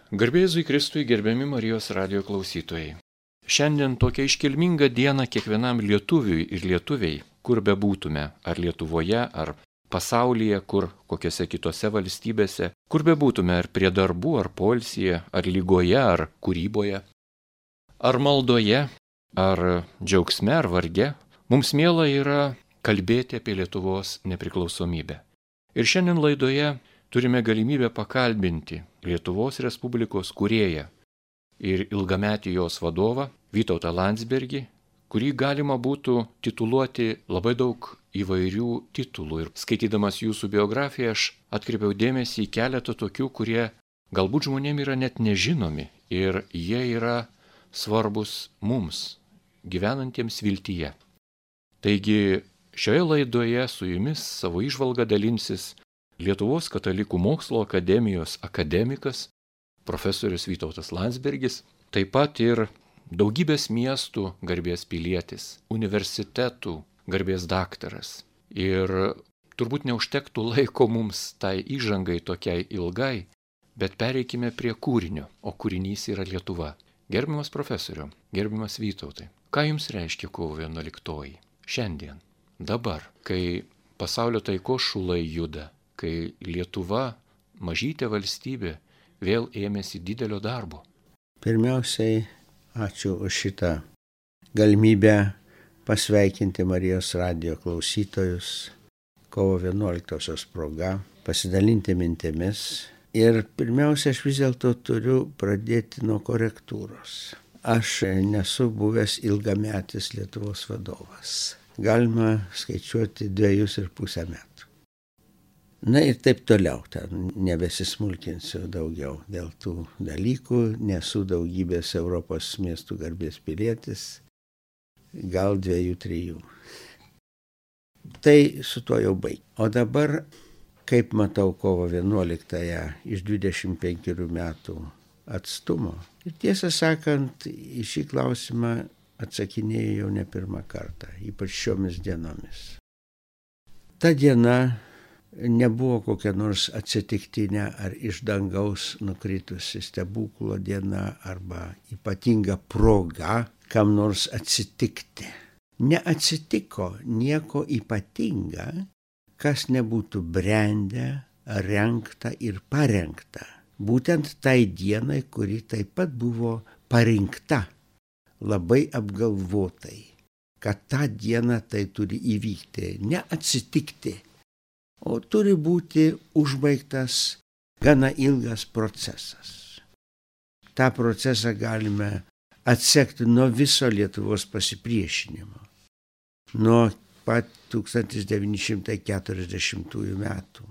Garbė Jėzui Kristui, gerbiami Marijos radijo klausytojai. Šiandien tokia iškilminga diena kiekvienam lietuviui ir lietuviai, kur bebūtume, ar Lietuvoje, ar pasaulyje, kur kokiose kitose valstybėse, kur bebūtume, ar prie darbų, ar poilsyje, ar lygoje, ar kūryboje, ar maldoje, ar džiaugsme, ar varge, mums miela yra kalbėti apie Lietuvos nepriklausomybę. Ir šiandien laidoje turime galimybę pakalbinti Lietuvos Respublikos kūrėją ir ilgametį jos vadovą Vytautą Landsbergį, kurį galima būtų tituluoti labai daug įvairių titulų. Ir skaitydamas jūsų biografiją aš atkreipiau dėmesį į keletą tokių, kurie galbūt žmonėms yra net nežinomi ir jie yra svarbus mums, gyvenantiems viltyje. Taigi šioje laidoje su jumis savo įžvalgą dalinsis Lietuvos katalikų mokslo akademijos akademikas, profesorius Vytautas Landsbergis, taip pat ir daugybės miestų garbės pilietis, universitetų garbės daktaras. Ir turbūt neužtektų laiko mums tai įžangai tokiai ilgai, bet pereikime prie kūrinio, o kūrinys yra Lietuva. Gerbiamas profesoriau, gerbiamas Vytautai, ką jums reiškia kovo 11? Šiandien, dabar, kai pasaulio taikos šulai juda, kai Lietuva, mažytė valstybė, vėl ėmėsi didelio darbo. Pirmiausiai, ačiū už šitą galimybę pasveikinti Marijos radijo klausytojus kovo 11-osios proga, pasidalinti mintimis. Ir pirmiausia, aš vis dėlto turiu pradėti nuo korektūros. Aš nesu buvęs ilgametis Lietuvos vadovas. Galima skaičiuoti 2,5 metų. Na ir taip toliau, nebesismulkinsiu daugiau dėl tų dalykų, nesu daugybės Europos miestų garbės pilietis, gal 2-3. Tai su tuo jau baig. O dabar, kaip matau kovo 11-ąją iš 25 metų atstumo, ir tiesą sakant, į šį klausimą atsakinėjau jau ne pirmą kartą, ypač šiomis dienomis. Ta diena nebuvo kokia nors atsitiktinė ar iš dangaus nukritusi stebuklo diena arba ypatinga proga kam nors atsitikti. Neatsitiko nieko ypatinga, kas nebūtų brendę, rengta ir parengta. Būtent tai dienai, kuri taip pat buvo parinkta labai apgalvotai, kad tą dieną tai turi įvykti, neatsitikti. O turi būti užbaigtas gana ilgas procesas. Ta procesą galime atsekti nuo viso Lietuvos pasipriešinimo. Nuo pat 1940 metų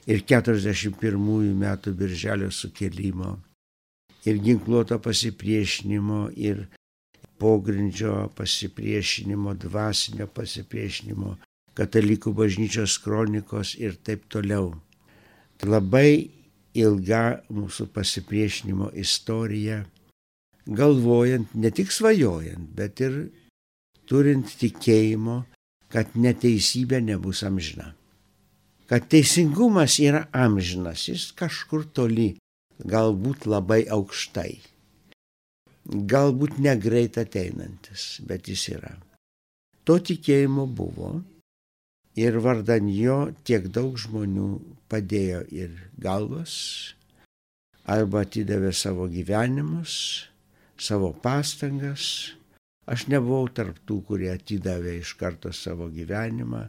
ir 41 metų birželio sukilimo ir ginkluoto pasipriešinimo ir pogrindžio pasipriešinimo, dvasinio pasipriešinimo, katalikų bažnyčios kronikos ir taip toliau. Labai ilga mūsų pasipriešinimo istorija, galvojant, ne tik svajojant, bet ir turint tikėjimo, kad neteisybė nebus amžina. Kad teisingumas yra amžinas, jis kažkur toli, galbūt labai aukštai. Galbūt negreit ateinantis, bet jis yra. To tikėjimo buvo. Ir vardan jo tiek daug žmonių padėjo ir galvas, arba atidavė savo gyvenimus, savo pastangas. Aš nebuvau tarp tų, kurie atidavė iš karto savo gyvenimą,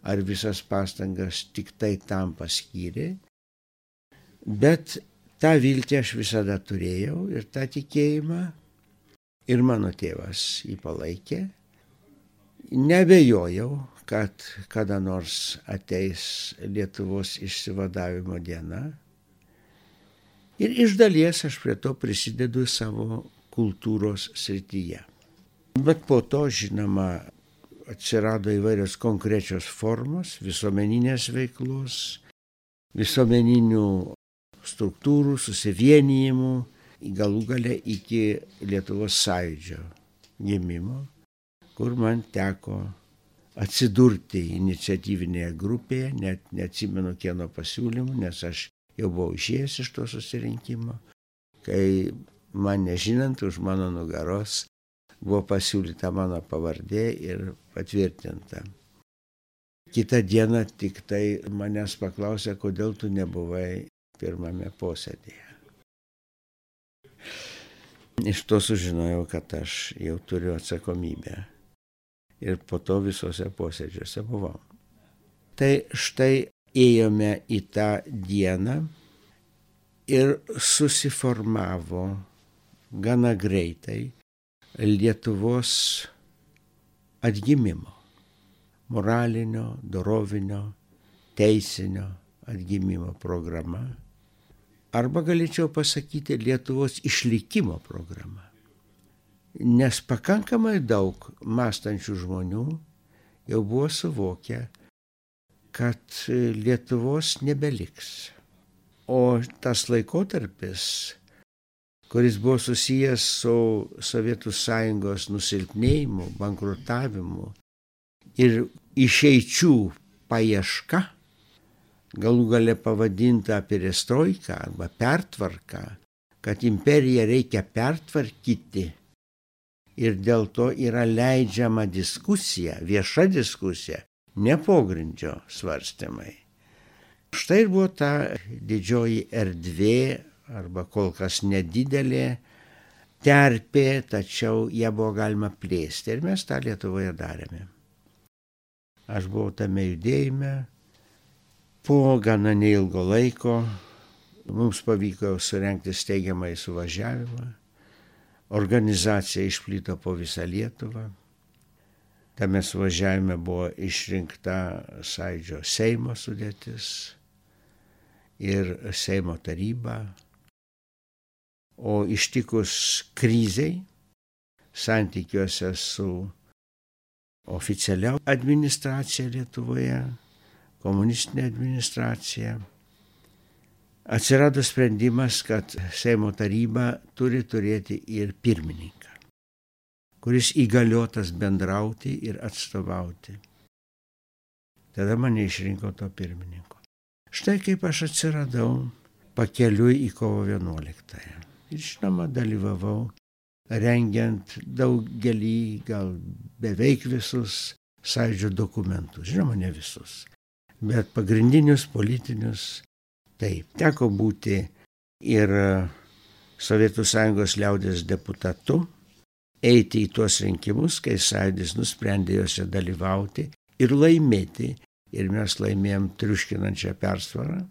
ar visas pastangas tik tai tam paskyrė. Bet tą viltį aš visada turėjau ir tą tikėjimą, ir mano tėvas jį palaikė. Nebejojau, kad kada nors ateis Lietuvos išsivadavimo diena. Ir iš dalies aš prie to prisidedu savo kultūros srityje. Bet po to, žinoma, atsirado įvairios konkrečios formos, visuomeninės veiklos, visuomeninių struktūrų, susivienijimų, galų gale iki Lietuvos sąjūdžio gimimo, kur man teko atsidurti iniciatyvinėje grupėje, net neatsimenu kieno pasiūlymų, nes aš jau buvau išėjęs iš to susirinkimo. kai man nežinant už mano nugaros buvo pasiūlyta mano pavardė ir patvirtinta. Kitą dieną tik tai manęs paklausė, kodėl tu nebuvai pirmame posėdėje. Iš to sužinojau, kad aš jau turiu atsakomybę. Ir po to visose posėdžiuose buvau. Tai štai ėjome į tą dieną ir susiformavo gana greitai Lietuvos atgimimo, moralinio, dorovinio, teisinio atgimimo programa. Arba galėčiau pasakyti Lietuvos išlikimo programa. Nes pakankamai daug mąstančių žmonių jau buvo suvokę, kad Lietuvos nebeliks. O tas laikotarpis, kuris buvo susijęs su Sovietų Sąjungos nusilpnėjimu, bankrutavimu ir išeičių paieška, galų gale pavadinta perestroika arba pertvarka, kad imperiją reikia pertvarkyti ir dėl to yra leidžiama diskusija, vieša diskusija, ne pogrindžio svarstymai. Štai ir buvo ta didžioji erdvė, arba kol kas nedidelė terpė, tačiau ją buvo galima plėsti ir mes tą Lietuvoje darėme. Aš buvau tame judėjime, po gana neilgo laiko mums pavyko surengti steigiamąjį suvažiavimą, organizacija išplito po visą Lietuvą, tame suvažiavime buvo išrinkta Sąjūdžio Seimo sudėtis ir Seimo taryba. O ištikus krizei santykiuose su oficialia administracija Lietuvoje, komunistinė administracija, atsirado sprendimas, kad Seimo taryba turi turėti ir pirmininką, kuris įgaliotas bendrauti ir atstovauti. Tada mane išrinko to pirmininko. Štai kaip aš atsiradau pakeliui į kovo 11. Ir žinoma, dalyvavau rengiant daugelį, gal beveik visus Sąjūdžio dokumentus. Žinoma, ne visus, bet pagrindinius politinius. Taip, teko būti ir Sovietų Sąjungos liaudės deputatu, eiti į tuos rinkimus, kai Sąjūdis nusprendė juose dalyvauti ir laimėti. Ir mes laimėjom triuškinančią persvarą,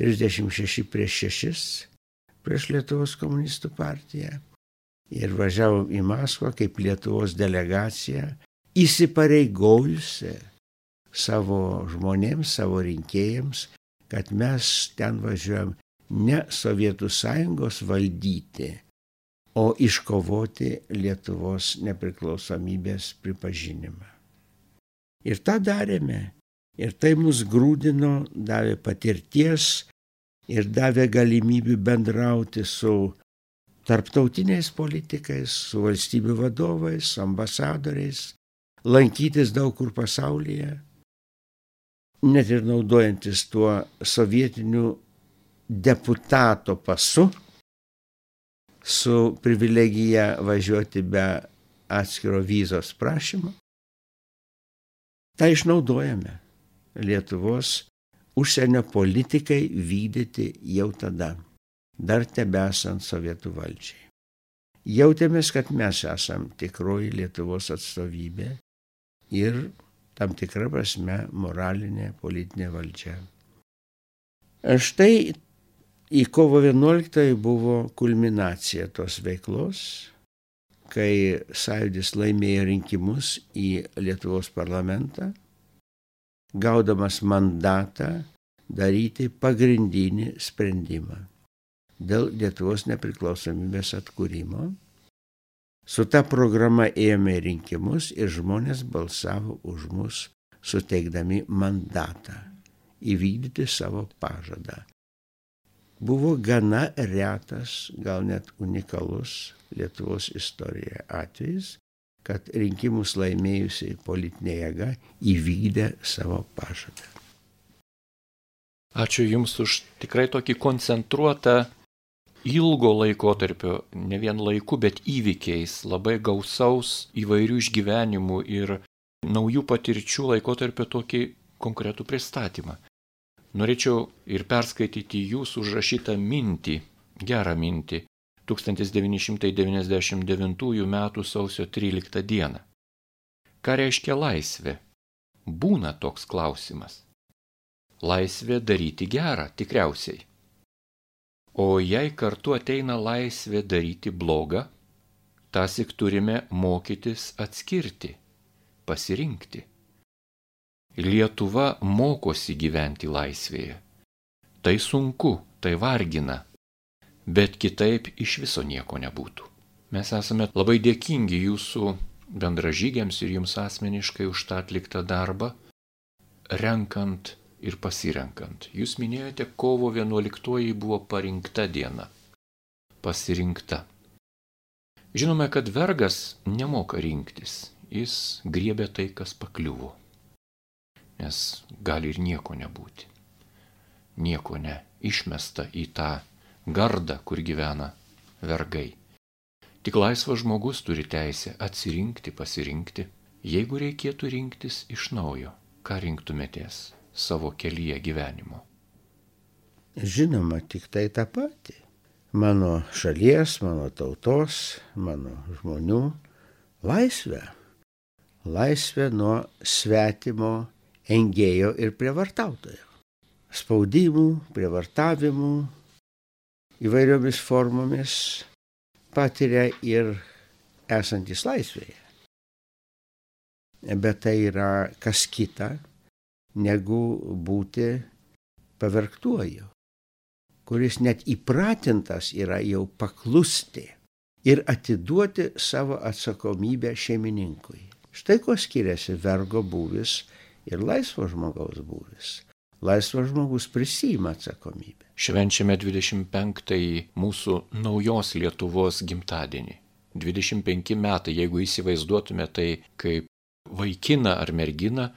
36-6 prieš Lietuvos komunistų partiją. Ir važiavom į Maskvą kaip Lietuvos delegacija, įsipareigojusi savo žmonėms, savo rinkėjams, kad mes ten važiuojam ne Sovietų Sąjungos valdyti, o iškovoti Lietuvos nepriklausomybės pripažinimą. Ir tą darėme. Ir tai mus grūdino, davė patirties ir davė galimybių bendrauti su tarptautiniais politikais, su valstybių vadovais, ambasadoriais, lankytis daug kur pasaulyje, net ir naudojantis tuo sovietiniu deputato pasu, su privilegija važiuoti be atskiro vizos prašymo. Tai išnaudojame Lietuvos užsienio politikai vykdyti jau tada, dar tebesant sovietų valdžiai. Jautėmės, kad mes esam tikroji Lietuvos atstovybė ir tam tikra prasme moralinė politinė valdžia. Štai į kovo 11 buvo kulminacija tos veiklos, kai Sąjūdis laimėjo rinkimus į Lietuvos parlamentą, gaudamas mandatą daryti pagrindinį sprendimą dėl Lietuvos nepriklausomybės atkūrimo. Su ta programa ėjome į rinkimus ir žmonės balsavo už mus, suteikdami mandatą įvykdyti savo pažadą. Buvo gana retas, gal net unikalus Lietuvos istorijoje atvejis, kad rinkimus laimėjusiai politinė jėga įvykdė savo pažadą. Ačiū Jums už tikrai tokį koncentruotą ilgo laikotarpio, ne vien laiku, bet įvykiais, labai gausaus įvairių išgyvenimų ir naujų patirčių laikotarpio tokį konkretų pristatymą. Norėčiau ir perskaityti jūsų užrašytą mintį, gerą mintį, 1999 m. sausio 13 d. Ką reiškia laisvė? Būna toks klausimas. Laisvė daryti gerą, tikriausiai. O jei kartu ateina laisvė daryti blogą, tąsyk turime mokytis atskirti, pasirinkti. Lietuva mokosi gyventi laisvėje. Tai sunku, tai vargina, bet kitaip iš viso nieko nebūtų. Mes esame labai dėkingi jūsų bendražygiams ir jums asmeniškai už tą atliktą darbą, renkant ir pasirenkant. Jūs minėjote, kovo 11 buvo parinkta diena. Pasirinkta. Žinome, kad vergas nemoka rinktis. Jis griebia tai, kas pakliuvo. Nes gali ir nieko nebūti. Nieko ne. Išmesta į tą gardą, kur gyvena vergai. Tik laisvas žmogus turi teisę atsirinkti, pasirinkti. Jeigu reikėtų rinktis iš naujo, ką rinktumėtės savo kelyje gyvenimo? Žinoma, tik tai tą patį. Mano šalies, mano tautos, mano žmonių laisvę. Laisvę nuo svetimo engėjo ir prievartautojo. Spaudimų, prievartavimų įvairiomis formomis patiria ir esantis laisvėje. Bet tai yra kas kita, negu būti pavergtuoju, kuris net įpratintas yra jau paklusti ir atiduoti savo atsakomybę šeimininkui. Štai ko skiriasi vergo būvis ir laisvo žmogaus būvis. Laisvas žmogus prisiima atsakomybę. Švenčiame 25-ąjį mūsų naujos Lietuvos gimtadienį. 25 metai, jeigu įsivaizduotume tai kaip vaikiną ar merginą,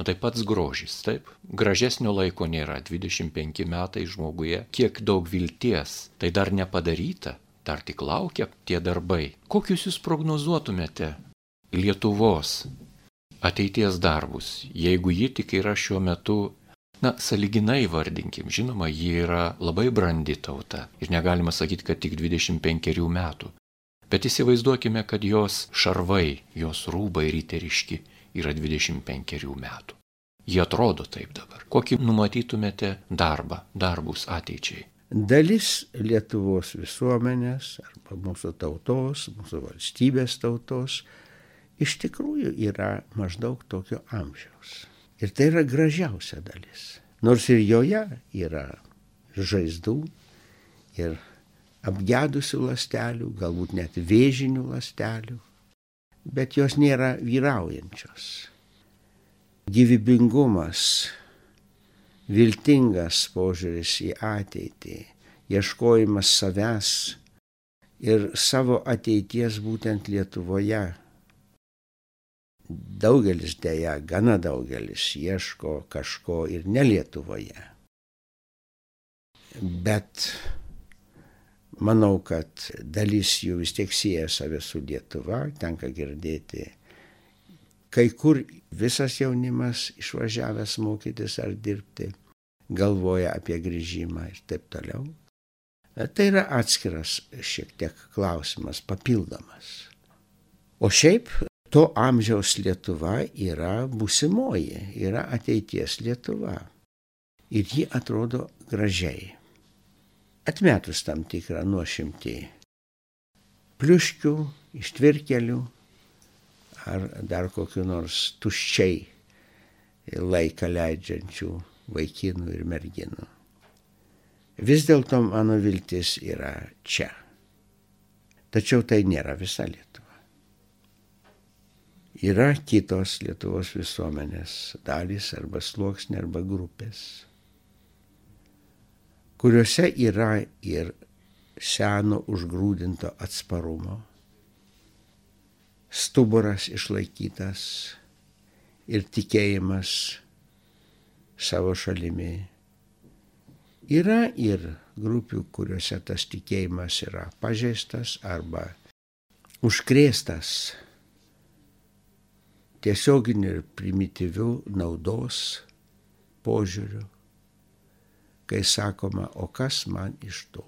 tai pats grožis, taip? Gražesnio laiko nėra, 25 metai žmoguje, kiek daug vilties, tai dar nepadaryta, dar tik laukia tie darbai. Kokius jūs prognozuotumėte Lietuvos ateities darbus, jeigu ji tik yra šiuo metu, sąlyginai vardinkim, žinoma, ji yra labai brandi tauta ir negalima sakyti, kad tik 25 metų. Bet įsivaizduokime, kad jos šarvai, jos rūbai riteriški yra 25 metų. Jie atrodo taip dabar. Kokį numatytumėte darbus ateičiai? Dalis Lietuvos visuomenės arba mūsų tautos, mūsų valstybės tautos iš tikrųjų yra maždaug tokio amžiaus. Ir tai yra gražiausia dalis. Nors ir joje yra žaizdų ir apgedusių ląstelių, galbūt net vėžinių ląstelių, bet jos nėra vyraujančios. Gyvybingumas, viltingas požiūris į ateitį, ieškojimas savęs ir savo ateities būtent Lietuvoje. Daugelis dėja, gana daugelis ieško kažko ir ne Lietuvoje. Bet manau, kad dalis jų vis tiek sieja save su Lietuva, tenka girdėti. Kai kur visas jaunimas išvažiavęs mokytis ar dirbti, galvoja apie grįžimą ir taip toliau. Tai yra atskiras šiek tiek klausimas, papildomas. O šiaip to amžiaus Lietuva yra būsimoji, yra ateities Lietuva. Ir ji atrodo gražiai. Atmetus tam tikrą nuošimtį pliuškių, ištvirkelių ar dar kokiu nors tuščiai laiką leidžiančių vaikinų ir merginų. Vis dėlto mano viltis yra čia. Tačiau tai nėra visa Lietuva. Yra kitos Lietuvos visuomenės dalys arba sluoksniai arba grupės, kuriuose yra ir seno užgrūdinto atsparumo, stuburas išlaikytas ir tikėjimas savo šalimi, Yra ir grupių, kuriuose tas tikėjimas yra pažeistas arba užkrėstas tiesioginiu ir primityviu naudos požiūriu, kai sakoma, o kas man iš to?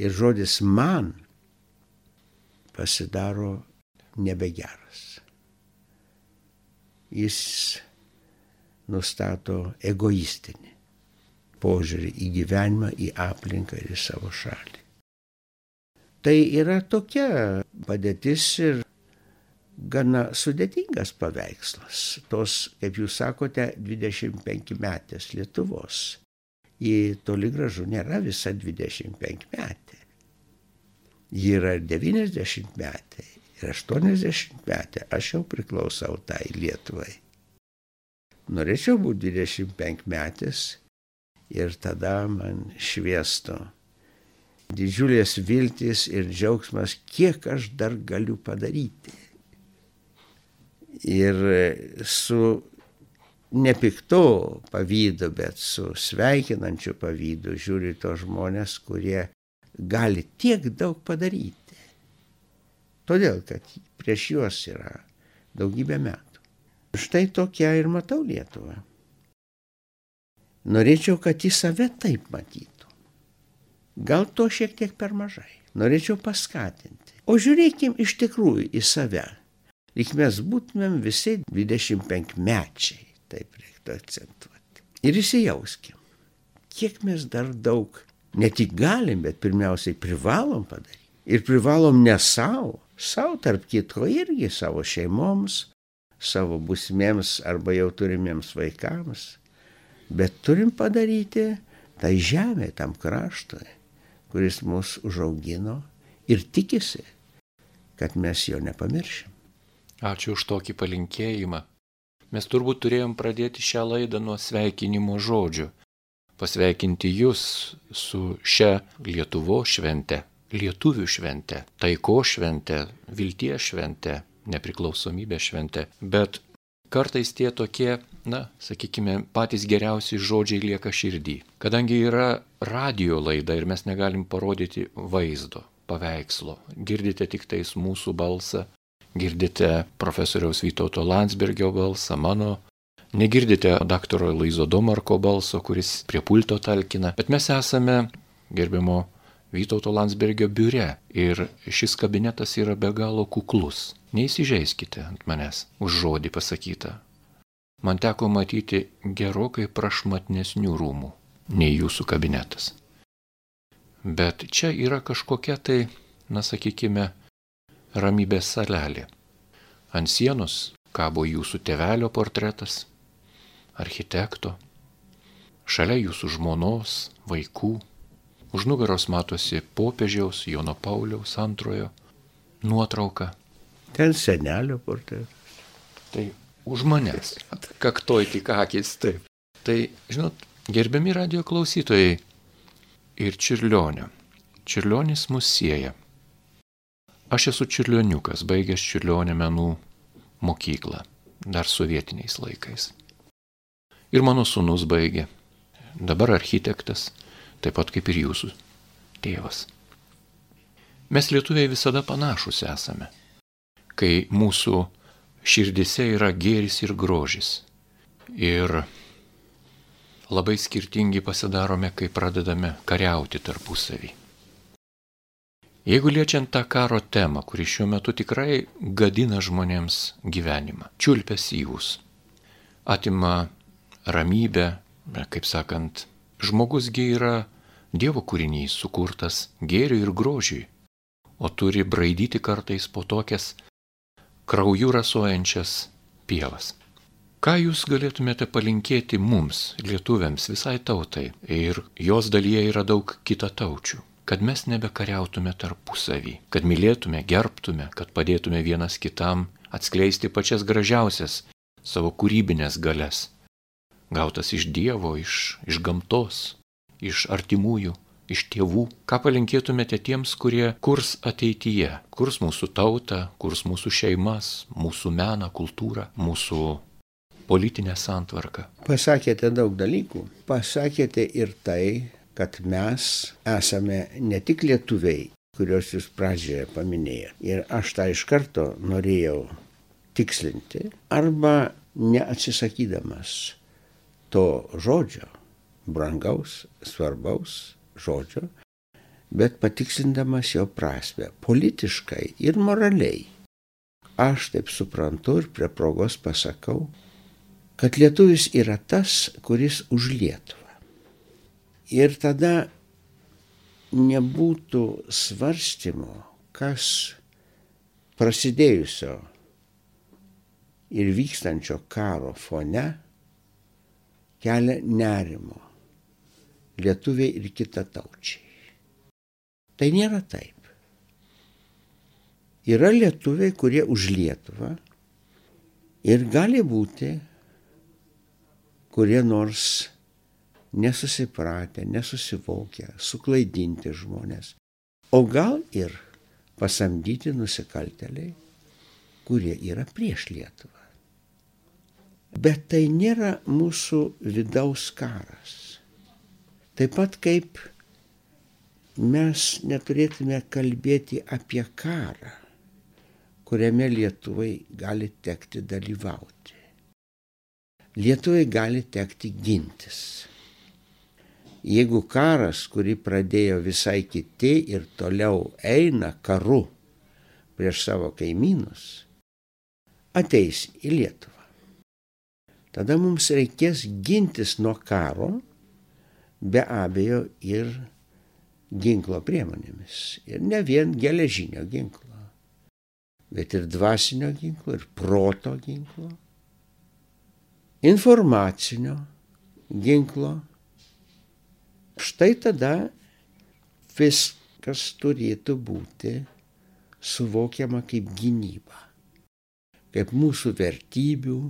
Ir žodis man pasidaro nebegeras. Jis nustato egoistinį požiūrį į gyvenimą, į aplinką ir į savo šalį. Tai yra tokia padėtis ir gana sudėtingas paveikslas. Tos, kaip jūs sakote, 25 metės Lietuvos. Ji toli gražu nėra visa 25 metė. Ji yra 90 metė ir 80 metė. Aš jau priklausau tai Lietuvai. Norėčiau būti 25 metės ir tada man šviestų didžiulės viltys ir džiaugsmas, kiek aš dar galiu padaryti. Ir su nepiktu pavydu, bet su sveikinančiu pavydu žiūri tos žmonės, kurie gali tiek daug padaryti. Todėl, kad prieš juos yra daugybė metų. Štai tokia ir matau Lietuvą. Norėčiau, kad į save taip matytų. Gal to šiek tiek per mažai. Norėčiau paskatinti. O žiūrėkim iš tikrųjų į save. Lyg mes būtumėm visi 25 mečiai, taip reiktų akcentuoti. Ir įsijauskim, kiek mes dar daug ne tik galim, bet pirmiausiai privalom padaryti. Ir privalom ne savo tarp kitko irgi savo šeimoms, savo būsimiems arba jau turimiems vaikams. Bet turim padaryti tai žemė, tam kraštui, kuris mus užaugino ir tikisi, kad mes jo nepamiršim. Ačiū už tokį palinkėjimą. Mes turbūt turėjom pradėti šią laidą nuo sveikinimo žodžių. Pasveikinti jūs su šia Lietuvos švente, lietuvių švente, taikos švente, vilties švente, nepriklausomybės švente. Bet kartais tie tokie, sakykime, patys geriausi žodžiai lieka širdį. Kadangi yra radijo laida ir mes negalim parodyti vaizdo, paveikslo, girdite tik tais mūsų balsą, girdite profesoriaus Vytauto Landsbergio balsą, mano, negirdite daktaro Laizo Domarko balso, kuris prie pulto talkina, bet mes esame gerbiamo Vytauto Landsbergio biure ir šis kabinetas yra be galo kuklus. Neįsižeiskite ant manęs už žodį pasakytą. Man teko matyti gerokai prašmatnesnių rūmų nei jūsų kabinetas. Bet čia yra kažkokia tai, sakykime, ramybės salelė. Ant sienos kabo jūsų tėvelio portretas, architekto, šalia jūsų žmonos, vaikų. Už nugaros matosi popiežiaus Jono Pauliaus II nuotrauka. Ten senelio portretas. Tai už manęs. Kaktoj tik akis, taip. Tai, žinot, gerbiami radijo klausytojai ir Čiurlionio. Čiurlionis mus sieja. Aš esu čiurlioniukas, baigęs Čiurlionio menų mokyklą, dar sovietiniais laikais. Ir mano sūnus baigė. Dabar architektas, taip pat kaip ir jūsų tėvas. Mes lietuviai visada panašus esame, kai mūsų širdise yra gėris ir grožis. Ir labai skirtingi pasidarome, kai pradedame kariauti tarpusavį. Jeigu liečiant tą karo temą, kuri šiuo metu tikrai gadina žmonėms gyvenimą, čiulpia syvus, atima ramybę, kaip sakant, žmogusgi yra Dievo kūrinys sukurtas gėriui ir grožiui, o turi braidyti kartais po tokias krauju rasojančias pievas. Ką jūs galėtumėte palinkėti mums, lietuviams, visai tautai, ir jos dalyje yra daug kitataučių, kad mes nebekariautume tarpusavį, kad mylėtume, gerbtume, kad padėtume vienas kitam atskleisti pačias gražiausias savo kūrybinės galias, gautas iš Dievo, iš gamtos, iš artimųjų, iš tėvų. Ką palinkėtumėte tiems, kurie kurs ateityje, kurs mūsų tautą, kurs mūsų šeimas, mūsų meną, kultūrą, mūsų politinę santvarką? Pasakėte daug dalykų. Pasakėte ir tai, kad mes esame ne tik lietuviai, kuriuos jūs pradžioje paminėjote. Ir aš tą iš karto norėjau tikslinti, arba neatsisakydamas to žodžio, brangaus, svarbaus žodžio, bet patikslindamas jo prasmę politiškai ir moraliai. Aš taip suprantu ir prie progos pasakau, kad lietuvis yra tas, kuris už Lietuvą. Ir tada nebūtų svarstymo, kas prasidėjusio ir vykstančio karo fone kelia nerimo lietuviai ir kitataučiai. Tai nėra taip. Yra lietuviai, kurie už Lietuvą ir gali būti kurie nors nesusipratę, nesusivokę, suklaidinti žmonės, o gal ir pasamdyti nusikaltėliai, kurie yra prieš Lietuvą. Bet tai nėra mūsų vidaus karas. Taip pat kaip mes neturėtume kalbėti apie karą, kuriame Lietuvai gali tekti dalyvauti. Lietuvai gali tekti gintis. Jeigu karas, kurį pradėjo visai kiti ir toliau eina karu prieš savo kaimynus, ateis į Lietuvą. Tada mums reikės gintis nuo karo, be abejo ir ginklo priemonėmis. Ir ne vien geležinio ginklo, bet ir dvasinio ginklo, ir proto ginklo, informacinio ginklo. Štai tada viskas turėtų būti suvokiama kaip gynyba, kaip mūsų vertybių,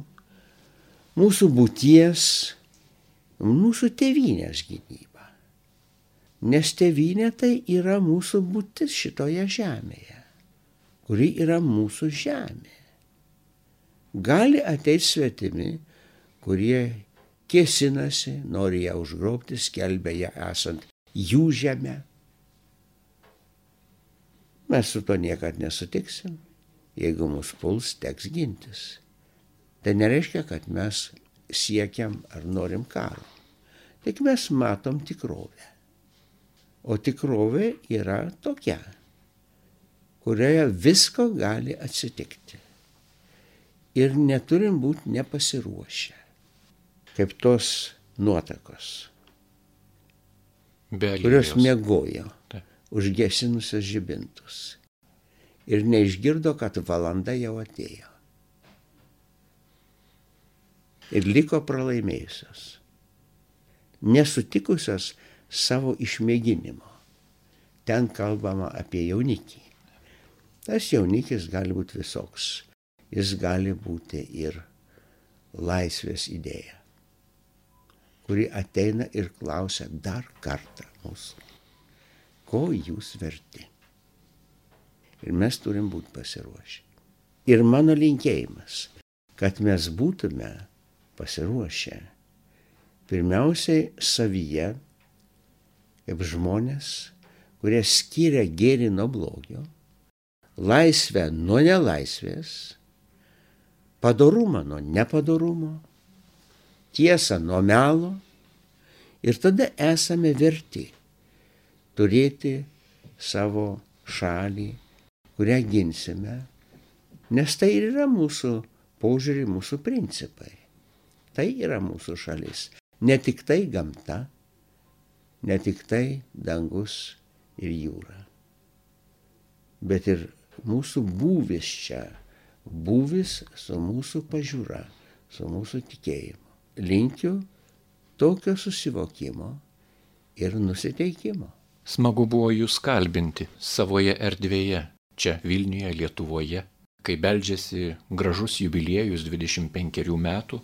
mūsų būties, mūsų tėvynės gynyba. Nes tėvynė tai yra mūsų būtis šitoje žemėje, kuri yra mūsų žemė. Gali ateiti svetimi, kurie kėsinasi, nori ją užgrobti, skelbia ją esant jų žemę. Mes su to niekad nesutiksim, jeigu mus puls, teks gintis. Tai nereiškia, kad mes siekiam ar norim karo. Tik mes matom tikrovę. O tikrovė yra tokia, kurioje visko gali atsitikti. Ir neturim būti nepasiruošę. Kaip tos nuotakos, kurios miegojo, užgesinusios žibintus. Ir neišgirdo, kad valanda jau atėjo. Ir liko pralaimėjusios, nesutikusios savo išmėginimo. Ten kalbama apie jaunikį. Tas jaunikis gali būti visoks. Jis gali būti ir laisvės idėja, kuri ateina ir klausia dar kartą mūsų, ko jūs verti. Ir mes turim būti pasiruošę. Ir mano linkėjimas, kad mes būtume pasiruošę pirmiausiai savyje, kaip žmonės, kurie skiria gėrį nuo blogio, laisvę nuo nelaisvės, padorumą nuo nepadorumo, tiesą nuo melo, ir tada esame verti turėti savo šalį, kurią ginsime, nes tai ir yra mūsų požiūrį, mūsų principai. Tai yra mūsų šalis. Ne tik tai gamta, ne tik tai dangus ir jūra, bet ir mūsų būvis čia, būvis su mūsų pažiūra, su mūsų tikėjimu. Linkiu tokio susivokimo ir nusiteikimo. Smagu buvo jūs kalbinti savoje erdvėje, čia Vilniuje, Lietuvoje, kai beldžiasi gražus jubiliejus 25 metų.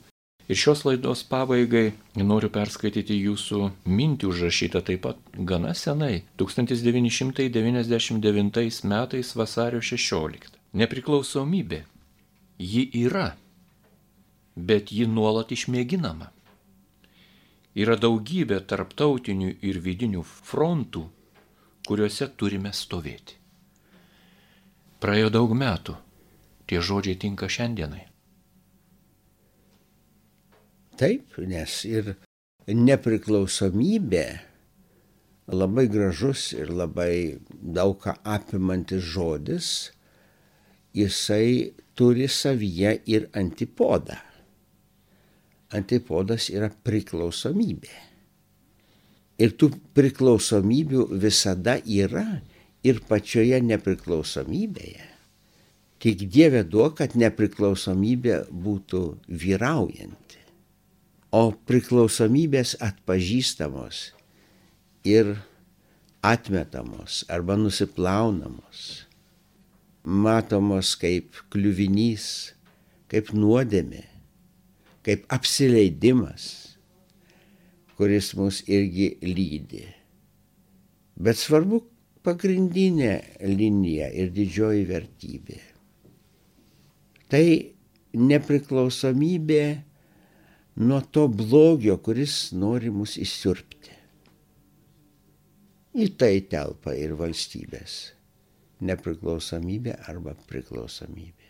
Ir šios laidos pabaigai noriu perskaityti jūsų mintį užrašytą taip pat gana senai, 1999 metais vasario 16. Nepriklausomybė, ji yra. bet ji nuolat išmėginama. Yra daugybė tarptautinių ir vidinių frontų, kuriuose turime stovėti. Praėjo daug metų, tie žodžiai tinka šiandienai. Taip, nes ir nepriklausomybė labai gražus ir labai daug ką apimantis žodis, jisai turi savyje ir antipodą. Antipodas yra priklausomybė. Ir tų priklausomybių visada yra ir pačioje nepriklausomybėje. Tik Dieve duok, kad nepriklausomybė būtų vyraujanti. O priklausomybės atpažįstamos ir atmetamos arba nusiplaunamos, matomos kaip kliuvinys, kaip nuodėmė, kaip apsileidimas, kuris mus irgi lydi. Bet svarbu pagrindinė linija ir didžioji vertybė. Tai nepriklausomybė nuo to blogio, kuris nori mus įsiurbti. Į tai telpa ir valstybės nepriklausomybė arba priklausomybė.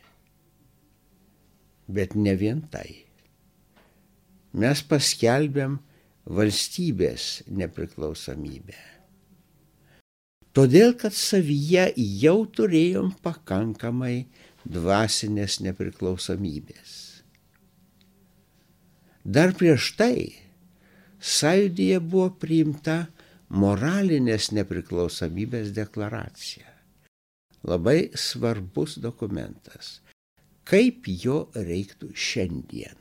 Bet ne vien tai. Mes paskelbėm valstybės nepriklausomybę. Todėl, kad savyje jau turėjom pakankamai dvasinės nepriklausomybės. Dar prieš tai sąjūdyje buvo priimta moralinės nepriklausomybės deklaracija. Labai svarbus dokumentas. Kaip jo reiktų šiandien?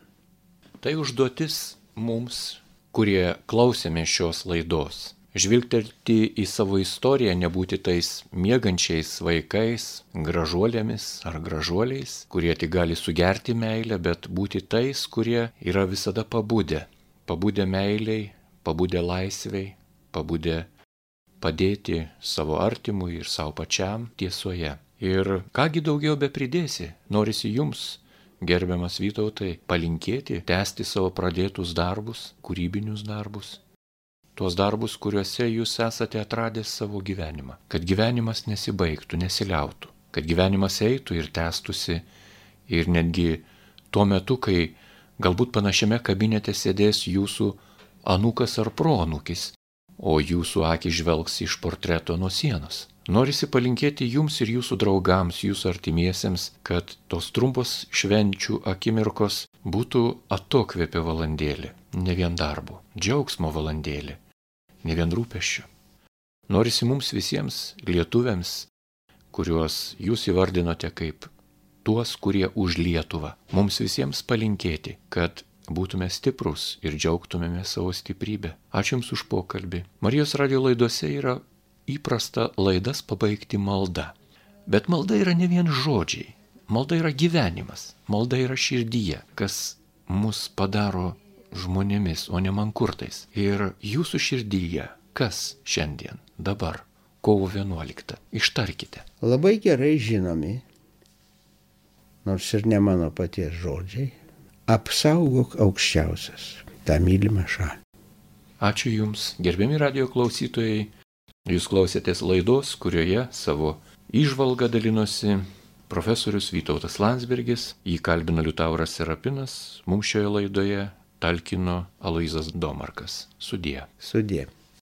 Tai užduotis mums, kurie klausėme šios laidos. Žvilgtelti į savo istoriją, nebūti tais miegančiais vaikais, gražuolėmis ar gražuoliais, kurie tik gali sugerti meilę, bet būti tais, kurie yra visada pabudę. Pabudę meiliai, pabudę laisviai, pabudę padėti savo artimui ir savo pačiam tiesoje. Ir kągi daugiau be pridėsi, norisi jums, gerbiamas Vytautai, palinkėti, tęsti savo pradėtus darbus, kūrybinius darbus. Tuos darbus, kuriuose jūs esate atradęs savo gyvenimą. Kad gyvenimas nesibaigtų, nesiliautų. Kad gyvenimas eitų ir tęstųsi. Ir netgi tuo metu, kai galbūt panašiame kabinete sėdės jūsų anūkas ar proanūkis, o jūsų akys žvelgs iš portreto nuo sienos. Norisi palinkėti jums ir jūsų draugams, jūsų artimiesiems, kad tos trumpos švenčių akimirkos būtų atokvėpio valandėlė, ne vien darbo, džiaugsmo valandėlė. Ne vien rūpesčių. Norisi mums visiems lietuviams, kuriuos jūs įvardinote kaip tuos, kurie už Lietuvą, mums visiems palinkėti, kad būtume stiprus ir džiaugtumėme savo stiprybę. Ačiū Jums už pokalbį. Marijos radijo laidose yra įprasta laidas pabaigti malda. Bet malda yra ne vien žodžiai. Malda yra gyvenimas. Malda yra širdyje, kas mus padaro žmonėmis, o ne mankurtais. Ir jūsų širdyje, kas šiandien, dabar, kovo 11, ištarkite. Labai gerai žinomi, nors ir ne mano paties žodžiai, apsaugok aukščiausias tą mylimą šalį. Ačiū Jums, gerbiami radijo klausytojai. Jūs klausėtės laidos, kurioje savo įžvalgą dalinosi profesorius Vytautas Landsbergis, jį kalbino Liutauras Serapinas, mums šioje laidoje talkino Aloyzas Domarkas. Sudie. Sudie.